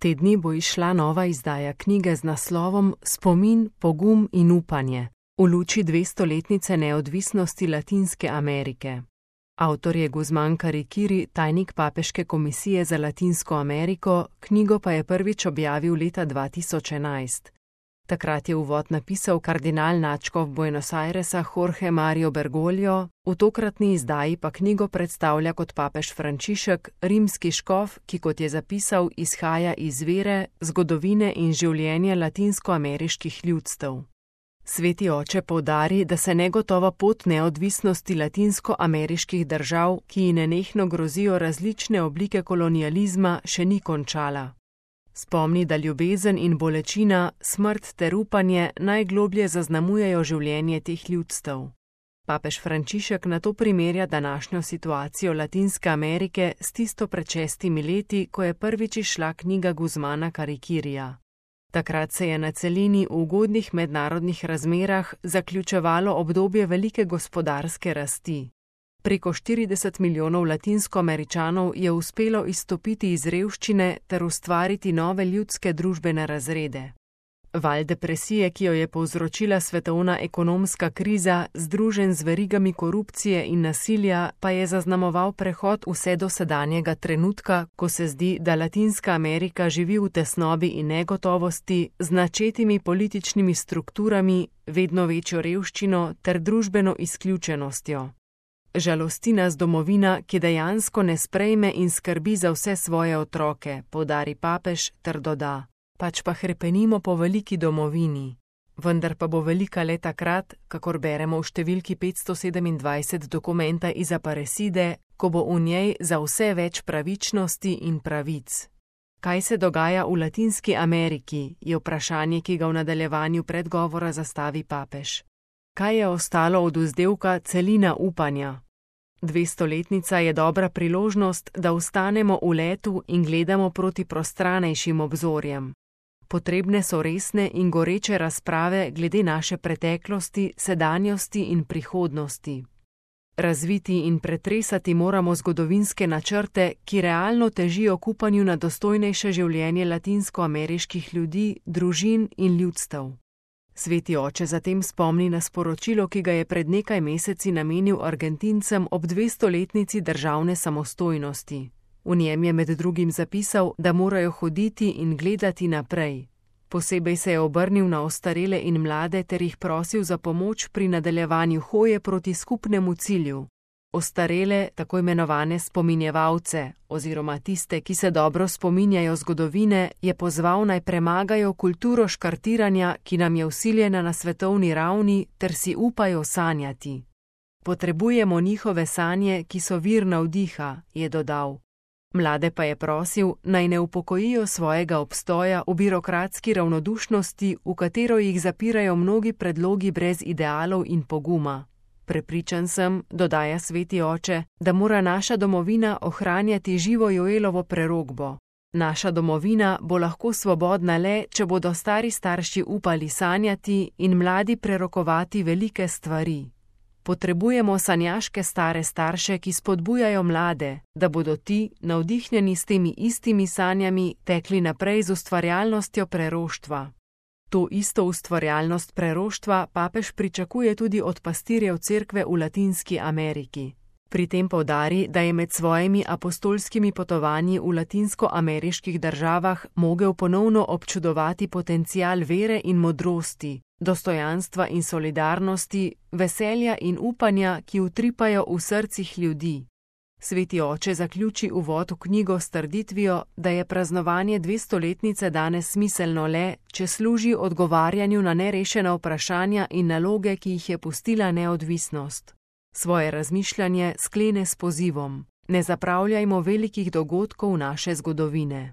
Te dni bo izšla nova izdaja knjige z naslovom Spomin, pogum in upanje v luči 200-letnice neodvisnosti Latinske Amerike. Avtor je Guzman Carriquiri, tajnik Papeške komisije za Latinsko Ameriko, knjigo pa je prvič objavil leta 2011. Takrat je uvod napisal kardinal nadškof Buenos Airesa Jorge Mario Bergoglio, v tokratni izdaji pa knjigo predstavlja kot papež Frančišek, rimski škof, ki, kot je zapisal, izhaja iz vere, zgodovine in življenja latinskoameriških ljudstev. Sveti oče poudari, da se negotova pot neodvisnosti latinskoameriških držav, ki ji nenehno grozijo različne oblike kolonializma, še ni končala. Spomni, da ljubezen in bolečina, smrt ter upanje najgloblje zaznamujejo življenje teh ljudstev. Papež Frančišek nato primerja današnjo situacijo Latinske Amerike s tisto pred 6 leti, ko je prvič izšla knjiga Guzmana Carriquirija. Takrat se je na celini v ugodnih mednarodnih razmerah zaključevalo obdobje velike gospodarske rasti. Preko 40 milijonov Latinskoameričanov je uspelo izstopiti iz revščine ter ustvariti nove ljudske družbene razrede. Val depresije, ki jo je povzročila svetovna ekonomska kriza, združen z verigami korupcije in nasilja, pa je zaznamoval prehod vse do sedanjega trenutka, ko se zdi, da Latinska Amerika živi v tesnobi in negotovosti, z načetimi političnimi strukturami, vedno večjo revščino ter družbeno izključenostjo. Žalosti nas domovina, ki dejansko ne sprejme in skrbi za vse svoje otroke, poudari papež ter doda. Pač pa hrepenimo po veliki domovini. Vendar pa bo velika le takrat, kakor beremo v številki 527 dokumenta iz Aparecide, ko bo v njej za vse več pravičnosti in pravic. Kaj se dogaja v Latinski Ameriki, je vprašanje, ki ga v nadaljevanju predgovora zastavi papež. Kaj je ostalo od vzdevka celina upanja? 200-letnica je dobra priložnost, da ostanemo v letu in gledamo proti prostranejšim obzorjem. Potrebne so resne in goreče razprave glede naše preteklosti, sedanjosti in prihodnosti. Razviti in pretresati moramo zgodovinske načrte, ki realno težijo k upanju na dostojnejše življenje latinskoameriških ljudi, družin in ljudstev. Sveti oče zatem spomni na sporočilo, ki ga je pred nekaj meseci namenil Argentincem ob 200-letnici državne samostojnosti. V njem je med drugim zapisal, da morajo hoditi in gledati naprej. Posebej se je obrnil na ostarele in mlade ter jih prosil za pomoč pri nadaljevanju hoje proti skupnemu cilju. Ostarele, tako imenovane spominjevalce, oziroma tiste, ki se dobro spominjajo zgodovine, je pozval naj premagajo kulturo škartiranja, ki nam je vsiljena na svetovni ravni, ter si upajo sanjati. Potrebujemo njihove sanje, ki so vir navdiha, je dodal. Mlade pa je prosil, naj ne upokojijo svojega obstoja v birokratski ravnodušnosti, v katero jih zapirajo mnogi predlogi brez idealov in poguma. Prepričan sem, dodaja sveti oče, da mora naša domovina ohranjati živo Joelovo prerokbo. Naša domovina bo lahko svobodna le, če bodo stari starši upali sanjati in mladi prerokovati velike stvari. Potrebujemo sanjaške stare starše, ki spodbujajo mlade, da bodo ti, navdihnjeni s temi istimi sanjami, tekli naprej z ustvarjalnostjo preroštva. To isto ustvarjalnost preroštva papež pričakuje tudi od pastirjev cerkve v Latinski Ameriki. Pri tem poudari, da je med svojimi apostolskimi potovanji v latinskoameriških državah mogel ponovno občudovati potencial vere in modrosti, dostojanstva in solidarnosti, veselja in upanja, ki utripajo v srcih ljudi. Sveti oče zaključi uvod v knjigo s trditvijo, da je praznovanje 200-letnice danes smiselno le, če služi odgovarjanju na nerešena vprašanja in naloge, ki jih je pustila neodvisnost. Svoje razmišljanje sklene s pozivom: ne zapravljajmo velikih dogodkov naše zgodovine.